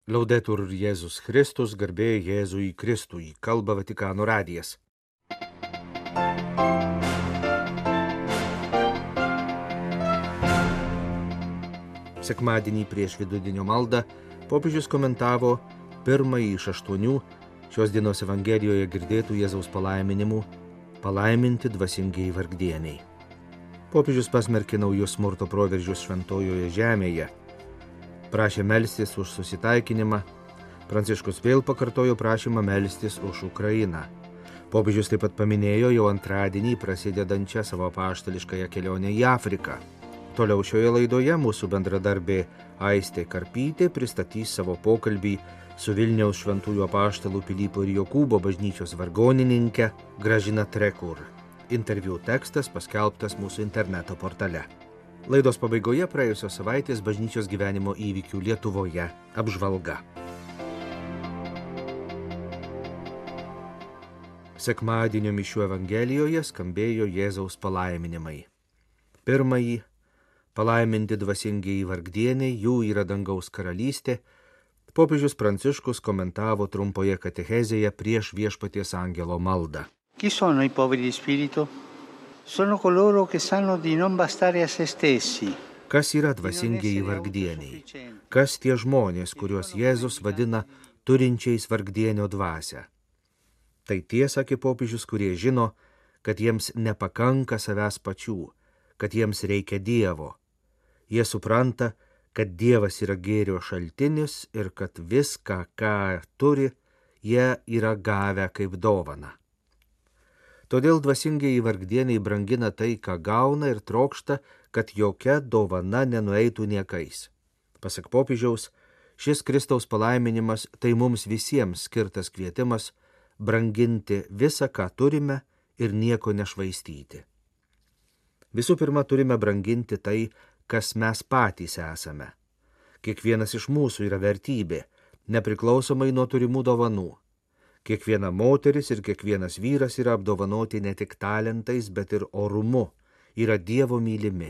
Laudetur Jėzus Kristus, garbė Jėzui Kristui, kalba Vatikano radijas. Sekmadienį prieš vidudienio maldą popiežius komentavo pirmąjį iš 8 šios dienos Evangelijoje girdėtų Jėzaus palaiminimų – palaiminti dvasingieji vargdieniai. Popiežius pasmerkė naujus smurto proveržius šventojoje žemėje, prašė melstis už susitaikinimą, Pranciškus vėl pakartojo prašymą melstis už Ukrainą. Popiežius taip pat paminėjo jau antradienį prasidedančią savo apaštališkąją kelionę į Afriką. Toliau šioje laidoje mūsų bendradarbė Aistė Karpytė pristatys savo pokalbį su Vilniaus šventųjų apaštalų Pilypo ir Jokūbo bažnyčios vargonininke Gražina Trekur. Interviu tekstas paskelbtas mūsų interneto portale. Laidos pabaigoje praėjusios savaitės bažnyčios gyvenimo įvykių Lietuvoje apžvalga. Sekmadienio mišių Evangelijoje skambėjo Jėzaus palaiminimai. Pirmąjį – palaiminti dvasingieji vargdieniai, jų yra dangaus karalystė. Popiežius Pranciškus komentavo trumpoje katechezėje prieš Viešpaties angelo maldą. Chi sono i poveri di spirito? Sono coloro che sanno di non bastare a se stessi. Kas yra dvasingieji vargdieniai? Kas tie žmonės, kuriuos Jėzus vadina turinčiais vargdienio dvasią? Tai tie, sakė popiežius, kurie žino, kad jiems nepakanka savęs pačių, kad jiems reikia Dievo. Jie supranta, kad Dievas yra gėrio šaltinis ir kad viską, ką turi, jie yra gavę kaip dovaną. Todėl dvasingieji vargdieniai brangina tai, ką gauna ir trokšta, kad jokia dovana nenueitų niekais. Pasak popiežiaus, šis Kristaus palaiminimas tai mums visiems skirtas kvietimas branginti visą, ką turime ir nieko nešvaistyti. Visų pirma, turime branginti tai, kas mes patys esame. Kiekvienas iš mūsų yra vertybė, nepriklausomai nuo turimų dovanų. Kiekviena moteris ir kiekvienas vyras yra apdovanoti ne tik talentais, bet ir orumu, yra Dievo mylimi.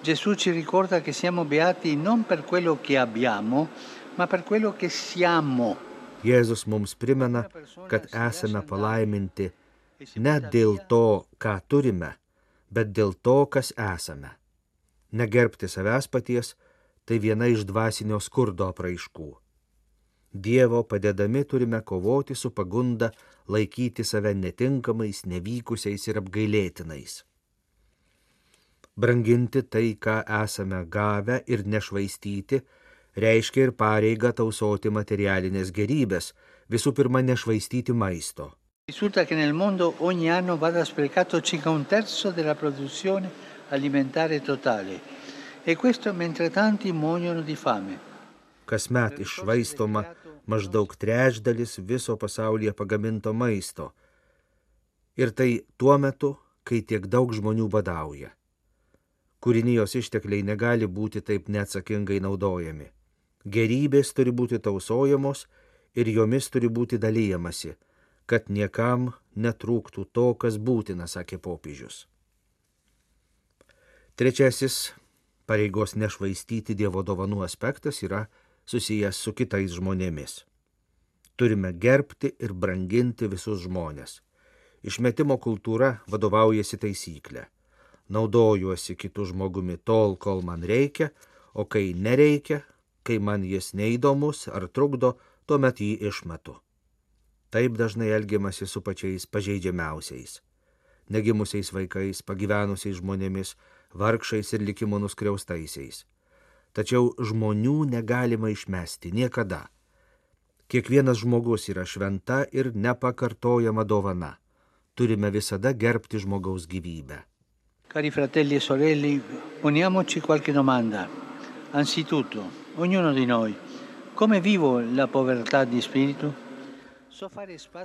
Gesù ci ricorda che siamo beati non per quello che abbiamo, ma per quello che siamo. Jėzus mums primena, kad esame palaiminti ne dėl to, ką turime, bet dėl to, kas esame. Negerbti savęs paties – tai viena iš dvasinio skurdo apraiškų. Dievo padedami turime kovoti su pagunda laikyti save netinkamais, nevykusiais ir apgailėtinais. Branginti tai, ką esame gavę ir nešvaistyti, reiškia ir pareigą tausoti materialinės gerybės, visų pirma nešvaistyti maisto. Risulta che nel mondo ogni anno vada sprecato circa 1/3 della produzione alimentare totale, e questo mentre tanti muoiono di fame. Kasmet iššvaistoma maždaug 1/3 viso pasaulyje pagaminto maisto. Ir tai tuo metu, kai tiek daug žmonių badauja. Kūrinijos ištekliai negali būti taip neatsakingai naudojami. Gerybės turi būti tausojamos ir jomis turi būti dalyjamasi, kad niekam netrūktų to, kas būtina, sakė popiežius. Trečiasis pareigos nešvaistyti Dievo dovanų aspektas yra susijęs su kitais žmonėmis. Turime gerbti ir branginti visus žmones. Išmetimo kultūra vadovaujasi taisyklė. Naudojuosi kitų žmogumi tol, kol man reikia, o kai nereikia, kai man jis neįdomus ar trukdo, tuomet jį išmetu. Taip dažnai elgiamasi su pačiais pažeidžiamiausiais. Negimusiais vaikais, pagyvenusiais žmonėmis, vargšais ir likimo nuskriaustaisiais. Tačiau žmonių negalima išmesti niekada. Kiekvienas žmogus yra šventa ir nepakartojama dovana. Turime visada gerbti žmogaus gyvybę. Cari fratelli e sorelle, poniamoci qualche domanda. Anzitutto, ognuno di noi, come vivo la povertà di spirito?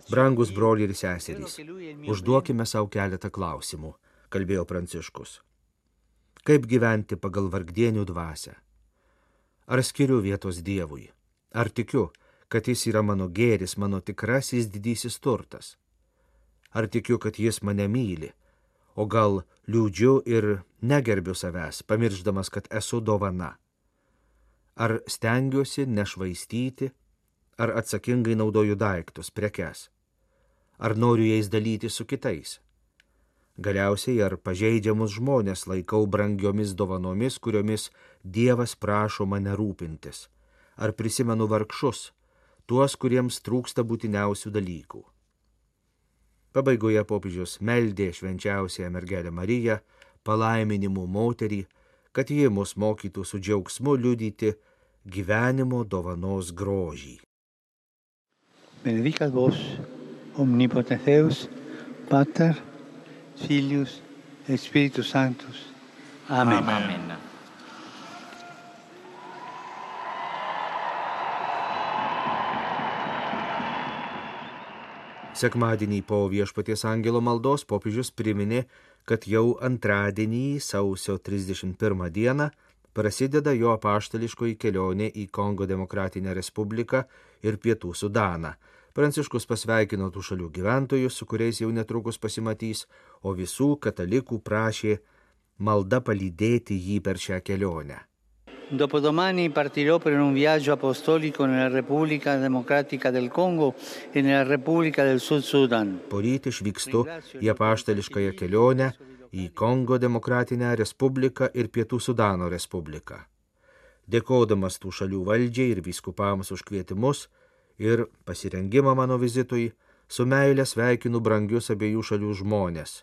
Brangus broliai ir seserys, užduokime savo keletą klausimų, kalbėjo Pranciškus. Kaip gyventi pagal vargdienių dvasią? Ar skiriu vietos Dievui? Ar tikiu, kad jis yra mano gėris, mano tikrasis didysis turtas? Ar tikiu, kad jis mane myli? O gal liūdžiu ir negerbiu savęs, pamiršdamas, kad esu dovana? Ar stengiuosi nešvaistyti, ar atsakingai naudoju daiktus, prekes, ar noriu jais dalyti su kitais. Galiausiai, ar pažeidžiamus žmonės laikau brangiomis dovanomis, kuriomis Dievas prašo mane rūpintis, ar prisimenu vargšus, tuos, kuriems trūksta būtiniausių dalykų. Pabaigoje popiežius meldė švenčiausiąją mergelę Mariją, palaiminimų moterį, kad ji mus mokytų su džiaugsmu liudyti gyvenimo dovanos grožį. Benedicat vos, omnipotens Deus, Pater, Filius et Spiritus Sanctus. Amen. Amen. Sekmadienį po Viešpaties angelo maldos popiežius priminė, kad jau antradienį sausio 31 dieną prasideda jo apaštališkoji kelionė į Kongo Demokratinę Respubliką ir Pietų Sudaną. Pranciškus pasveikino tų šalių gyventojus, su kuriais jau netrukus pasimatys, o visų katalikų prašė malda palydėti jį per šią kelionę. Dopodomani partirò per un viaggio apostolico nella Repubblica Democratica del Congo e nella Repubblica del Sud Sudan. Poryt išvykstu į apaštališkąją kelionę į Kongo Demokratinę Respubliką ir Pietų Sudano Respubliką. Dėkodamas tų šalių valdžiai ir vyskupams už kvietimus ir pasirengimą mano vizitui, su meile sveikinu brangius abiejų šalių žmonės,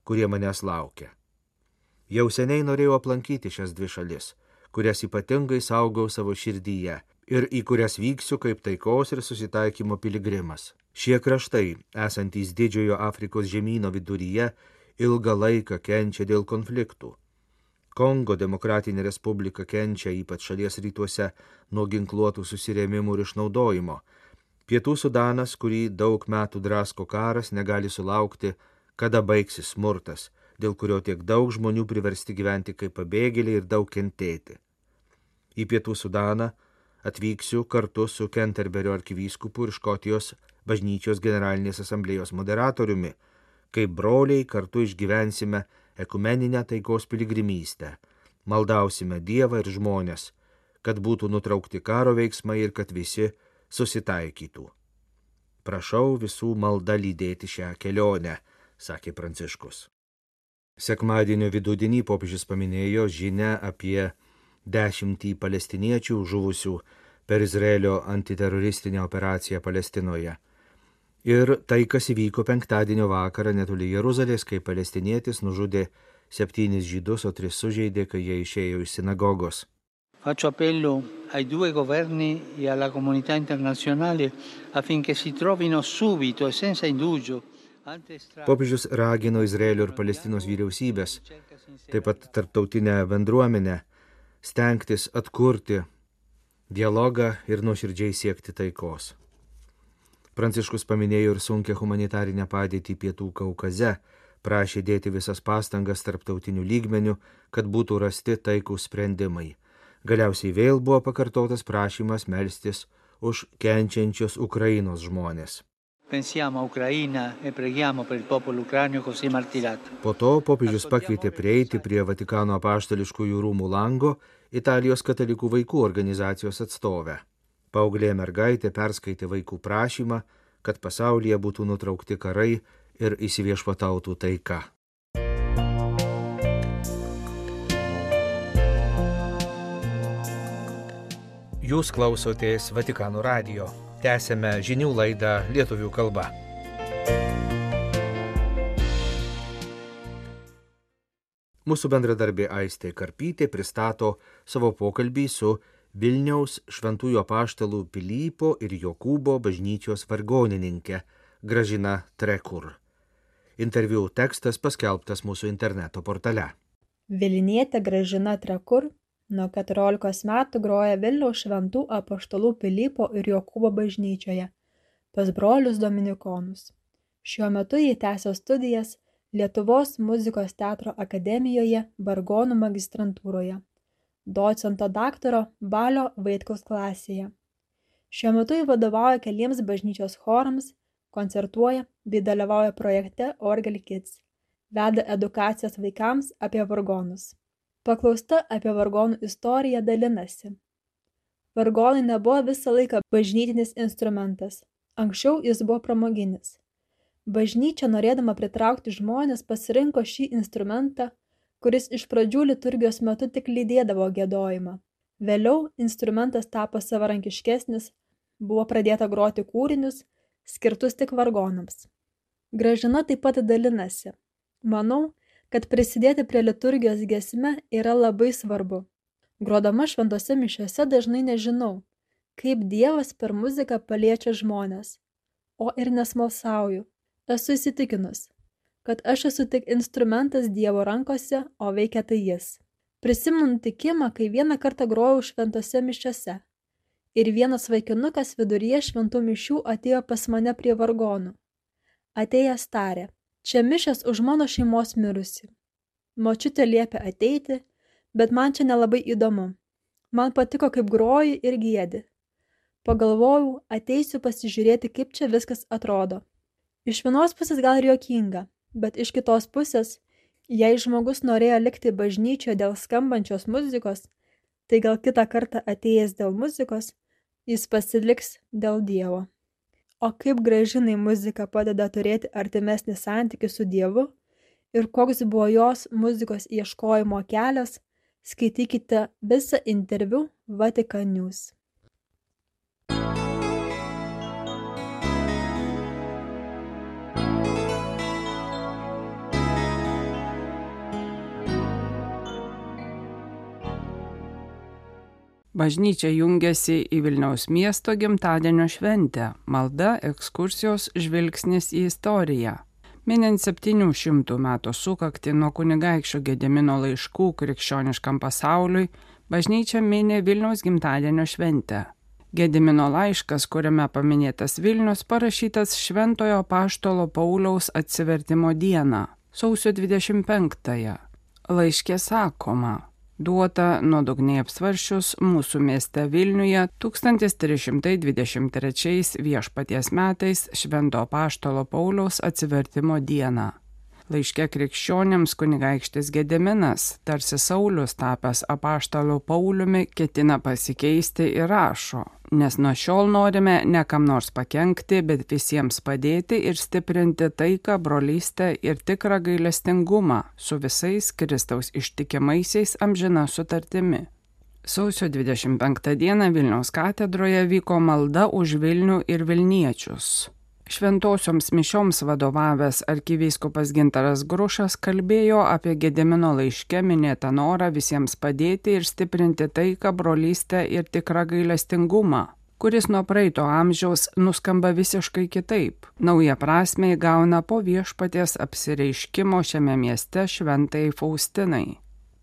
kurie manęs laukia. Jau seniai norėjau aplankyti šias dvi šalis, kurias ypatingai saugau savo širdyje ir į kurias vyksiu kaip taikos ir susitaikymo piligrimas. Šie kraštai, esantys didžiojo Afrikos žemyno viduryje, ilgą laiką kenčia dėl konfliktų. Kongo Demokratinė Respublika kenčia ypač šalies rytuose nuo ginkluotų susirėmimų ir išnaudojimo. Pietų Sudanas, kurį daug metų drasko karas, negali sulaukti, kada baigsis smurtas, dėl kurio tiek daug žmonių priversti gyventi kaip pabėgėliai ir daug kentėti. Į Pietų Sudaną atvyksiu kartu su Kenterberio arkivyskupu ir Škotijos bažnyčios generalinės asamblėjos moderatoriumi, kaip broliai kartu išgyvensime ekumeninę taikos piligrimystę, maldausime Dievą ir žmonės, kad būtų nutraukti karo veiksmai ir kad visi susitaikytų. Prašau visų malda lydėti šią kelionę, sakė Pranciškus. Sekmadienio vidudienį popiežius paminėjo žinią apie 10 palestiniečių žuvusių per Izraelio antiteroristinę operaciją Palestinoje. Ir tai, kas įvyko penktadienio vakarą netoli Jeruzalės, kai palestinietis nužudė 7 žydus, o 3 sužeidė, kai jie išėjo iš sinagogos. Faccio appello ai due governi e alla comunità internazionale affinché si trovino subito e senza indugio. Popiežius ragino Izraelio ir Palestinos vyriausybės, taip pat tarptautinę bendruomenę, stengtis atkurti dialogą ir nuoširdžiai siekti taikos. Pranciškus paminėjo ir sunkią humanitarinę padėtį Pietų Kaukaze, prašė dėti visas pastangas tarptautinių lygmenių, kad būtų rasti taikūs sprendimai. Galiausiai vėl buvo pakartotas prašymas melstis už kenčiančius Ukrainos žmonės. Pensiamo a Ucraina e preghiamo per il popolo ucraino così martirato. Po to popiežius pakvietė prieiti prie Vatikano apaštališkųjų rūmų lango Italijos katalikų vaikų organizacijos atstovę. Paauglė mergaitė perskaitė vaikų prašymą, kad pasaulyje būtų nutraukti karai ir įsiviešpatautų taika. Jūs klausotės Vatikano radijo. Tęsėme žinių laidą lietuvių kalba. Mūsų bendradarbė Aistė Karpytė pristato savo pokalbį su Vilniaus šventųjų apaštalų Pilypo ir Jokūbo bažnyčios vargonininkė Gražina Trekur. Interviu tekstas paskelbtas mūsų interneto portale. Vilnietė Gražina Trekur nuo 14 metų groja Vilniaus šventų apaštalų Pilypo ir Jokūbo bažnyčioje pas brolius dominikonus. Šiuo metu ji tęsia studijas Lietuvos muzikos teatro akademijoje vargonų magistrantūroje, docento daktaro Balio Vaitkaus klasėje. Šiuo metu ji vadovauja keliems bažnyčios chorams, koncertuoja bei dalyvauja projekte Orgel Kids, veda edukacijas vaikams apie vargonus. Paklausta apie vargonų istoriją dalinasi. Vargonai nebuvo visą laiką bažnytinis instrumentas. Anksčiau jis buvo pramoginis. Bažnyčia, norėdama pritraukti žmonės, pasirinko šį instrumentą, kuris iš pradžių liturgijos metu tik lydėdavo giedojimą. Vėliau instrumentas tapo savarankiškesnis, buvo pradėta groti kūrinius, skirtus tik vargonams. Gražina taip pat dalinasi. Manau, kad prisidėti prie liturgijos giesme yra labai svarbu. Grodama šventose mišiose dažnai nežinau, kaip Dievas per muziką paliečia žmones, o ir nesmalsauju. Esu įsitikinus, kad aš esu tik instrumentas Dievo rankose, o veikia tai jis. Prisimenu nutikimą, kai vieną kartą grojau šventose mišiose ir vienas vaikinukas viduryje šventų mišių atėjo pas mane prie vargonų. Atėjęs tarė: čia mišios už mano šeimos mirusi. Močiutė liepė ateiti, bet man čia nelabai įdomu. Man patiko, kaip groji ir giedi. Pagalvojau, ateisiu pasižiūrėti, kaip čia viskas atrodo. Iš vienos pusės gal ir juokinga, bet iš kitos pusės, jei žmogus norėjo likti bažnyčioje dėl skambančios muzikos, tai gal kitą kartą atėjęs dėl muzikos, jis pasiliks dėl Dievo. O kaip Gražinai muzika padeda turėti artimesnį santykį su Dievu ir koks buvo jos muzikos ieškojimo kelias, skaitykite visą interviu Vatican News. Bažnyčia jungiasi į Vilniaus miesto gimtadienio šventę, malda, ekskursijos, žvilgsnis į istoriją. Minint 700 metų sukaktį nuo kunigaikščio Gedimino laiškų krikščioniškam pasauliui, bažnyčia mini Vilniaus gimtadienio šventę. Gedimino laiškas, kuriame paminėtas Vilnius, parašytas Šventojo Apaštalo Pauliaus atsivertimo dieną, sausio 25-ąją. Laiške sakoma: duota nuodugniai apsvarsčius mūsų mieste Vilniuje 1323 viešpaties metais Švento Apaštalo Pauliaus atsivertimo dieną. Laiške krikščionims kunigaikštis Gediminas, tarsi Saulius tapęs apaštalu Pauliumi, ketina pasikeisti ir rašo: nes nuo šiol norime ne kam nors pakenkti, bet visiems padėti ir stiprinti taiką, brolystę ir tikrą gailestingumą su visais Kristaus ištikimaisiais amžina sutartimi. Sausio 25 dieną Vilniaus katedroje vyko malda už Vilnių ir Vilniečius. Šventosioms mišioms vadovavęs arkivyskupas Gintaras Grušas kalbėjo apie Gedimino laiške minėtą norą visiems padėti ir stiprinti taiką, brolystę ir tikrą gailestingumą, kuris nuo praeito amžiaus nuskamba visiškai kitaip. Naują prasmę įgauna po viešpaties apsireiškimo šiame mieste šventai Faustinai.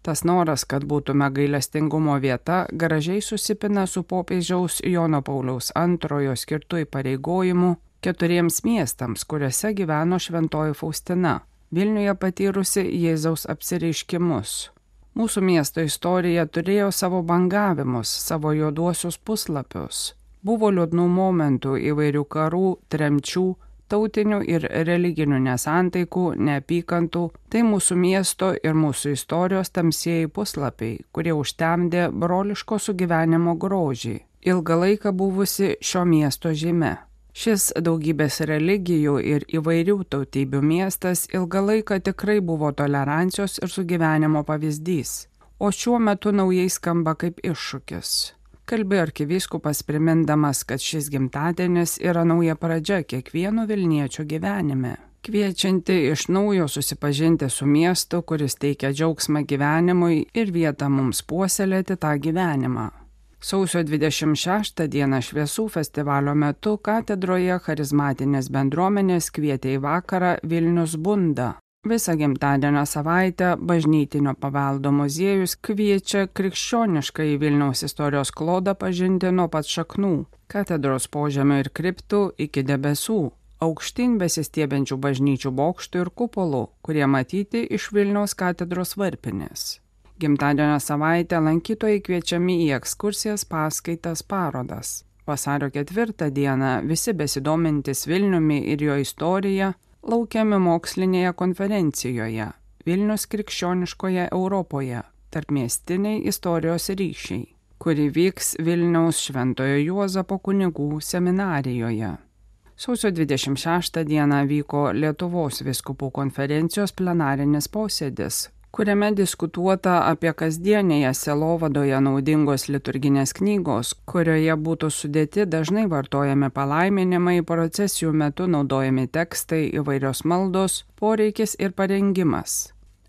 Tas noras, kad būtume gailestingumo vieta, gražiai susipina su popiežiaus Jono Pauliaus II skirtu įpareigojimu 4 miestams, kuriuose gyveno šventoji Faustina, Vilniuje patyrusi Jėzaus apsireiškimus. Mūsų miesto istorija turėjo savo bangavimus, savo juoduosius puslapius. Buvo liūdnų momentų, įvairių karų, tremčių, tautinių ir religinių nesantaikų, neapykantų. Tai mūsų miesto ir mūsų istorijos tamsieji puslapiai, kurie užtemdė broliško sugyvenimo grožį, ilgą laiką buvusi šio miesto žyme. Šis daugybės religijų ir įvairių tautybių miestas ilgą laiką tikrai buvo tolerancijos ir sugyvenimo pavyzdys, o šiuo metu naujai skamba kaip iššūkis. Kalbėjo arkivyskupas primindamas, kad šis gimtadienis yra nauja pradžia kiekvieno vilniečio gyvenime, kviečianti iš naujo susipažinti su miestu, kuris teikia džiaugsmą gyvenimui ir vietą mums puoselėti tą gyvenimą. Sausio 26 dieną šviesų festivalio metu katedroje charizmatinės bendruomenės kvietė į vakarą Vilnius bunda. Visą gimtadienio savaitę Bažnytinio paveldo muziejus kviečia krikščionišką į Vilniaus istorijos klodą pažinti nuo pat šaknų, katedros požemio ir kriptų iki debesų, aukštyn besistiebiančių bažnyčių bokštų ir kupolų, kurie matyti iš Vilniaus katedros varpinės. Gimtadienio savaitę lankytojai kviečiami į ekskursijas, paskaitas, parodas. Vasario 4 dieną visi besidomintis Vilniumi ir jo istorija laukiami mokslinėje konferencijoje Vilnius krikščioniškoje Europoje, tarpmiestiniai istorijos ryšiai. kuri vyks Vilniaus Šventojo Juozapo kunigų seminarijoje. Sausio 26 dieną vyko Lietuvos vyskupų konferencijos plenarinis posėdis, kuriame diskutuota apie kasdienėje sielovadoje naudingos liturginės knygos, kurioje būtų sudėti dažnai vartojami palaiminimai, procesijų metu naudojami tekstai, įvairios maldos, poreikis ir parengimas.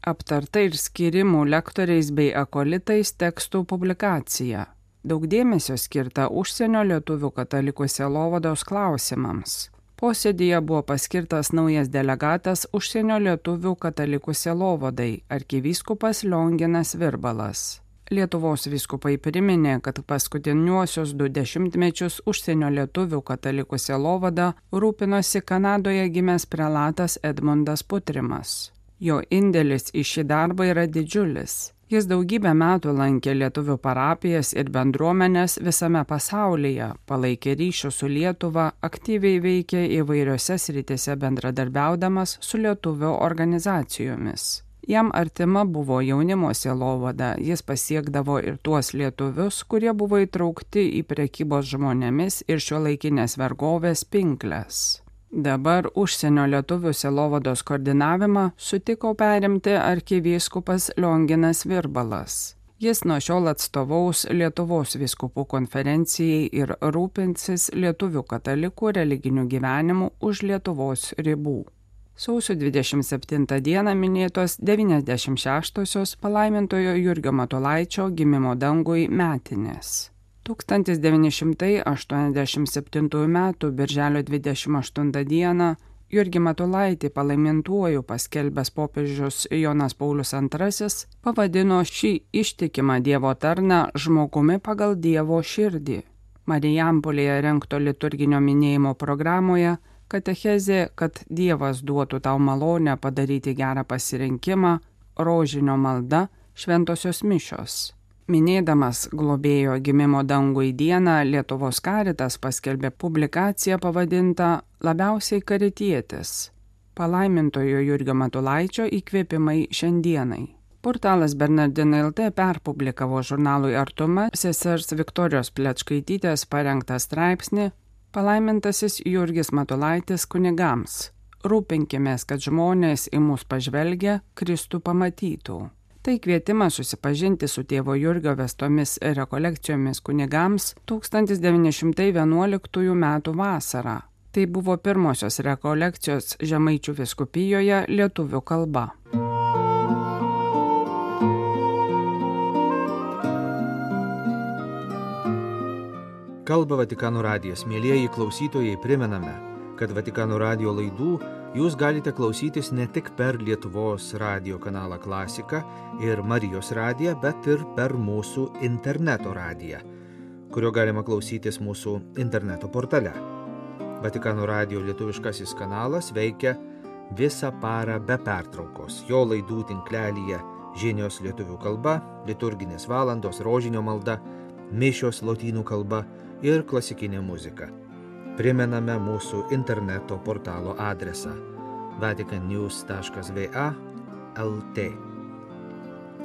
Aptarta ir skirimų lektoriais bei akolitais tekstų publikacija. Daug dėmesio skirta užsienio lietuvių katalikų sielovados klausimams. Posėdyje buvo paskirtas naujas delegatas užsienio lietuvių katalikų sielovadai, arkivyskupas Lionginas Virbalas. Lietuvos vyskupai priminė, kad paskutiniuosius 2 dešimtmečius užsienio lietuvių katalikų sielovada rūpinosi Kanadoje gimęs prelatas Edmundas Putrimas. Jo indėlis į šį darbą yra didžiulis. Jis daugybę metų lankė lietuvių parapijas ir bendruomenės visame pasaulyje, palaikė ryšių su Lietuva, aktyviai veikė įvairiose srityse bendradarbiaudamas su lietuvių organizacijomis. Jam artima buvo jaunimo sielovada, jis pasiekdavo ir tuos lietuvius, kurie buvo įtraukti į prekybos žmonėmis ir šiuolaikinės vergovės pinkles. Dabar užsienio lietuvių sielovados koordinavimą sutiko perimti arkivyskupas Lionginas Virbalas. Jis nuo šiol atstovaus Lietuvos vyskupų konferencijai ir rūpinsis lietuvių katalikų religiniu gyvenimu už Lietuvos ribų. Sausio 27 dieną minėtos 96-osios palaimintojo Jurgio Matulaičio gimimo dangui metinės. 1987 m. birželio 28 d. Jurgį Matulaitį palaimintuoju paskelbęs popiežius Jonas Paulius II pavadino šį ištikimą Dievo tarną žmogumi pagal Dievo širdį. Marijampolėje rengto liturginio minėjimo programoje katechezė, kad Dievas duotų tau malonę padaryti gerą pasirinkimą, rožinio malda, šventosios mišios. Minėdamas globėjo gimimo dangui dieną, Lietuvos Karitas paskelbė publikaciją pavadintą Labiausiai karitietis. Palaimintojo Jurgio Matulaičio įkvėpimai šiandienai. Portalas Bernardinai LT perpublikavo žurnalui Artuma sesers Viktorijos Plečkaitytės parengtą straipsnį Palaimintasis Jurgis Matulaitis kunigams. Rūpinkimės, kad žmonės į mus pažvelgia, Kristų pamatytų. Tai kvietimas susipažinti su tėvo Jurgio vestomis rekolekcijomis kunigams 1911 m. vasarą. Tai buvo pirmosios rekolekcijos Žemaičių vyskupijoje lietuvių kalba. Kalba Vatikano radijas. Mielieji klausytojai, primename, kad Vatikano radijo laidų jūs galite klausytis ne tik per Lietuvos radijo kanalą Klasika ir Marijos radiją, bet ir per mūsų interneto radiją, kurio galima klausytis mūsų interneto portale. Vatikano radijo lietuviškasis kanalas veikia visą parą be pertraukos. Jo laidų tinklelyje žinios lietuvių kalba, liturginės valandos, rožinio malda, mišios lotynų kalba ir klasikinė muzika. Primename mūsų interneto portalo adresą vaticannews.va/lt.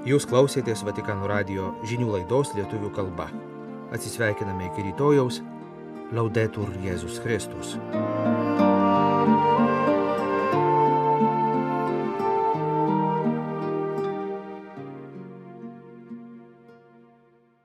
Jūs klausėtės Vatikano radijo žinių laidos lietuvių kalba. Atsisveikiname iki rytojaus. Laudetur Jėzus Kristus.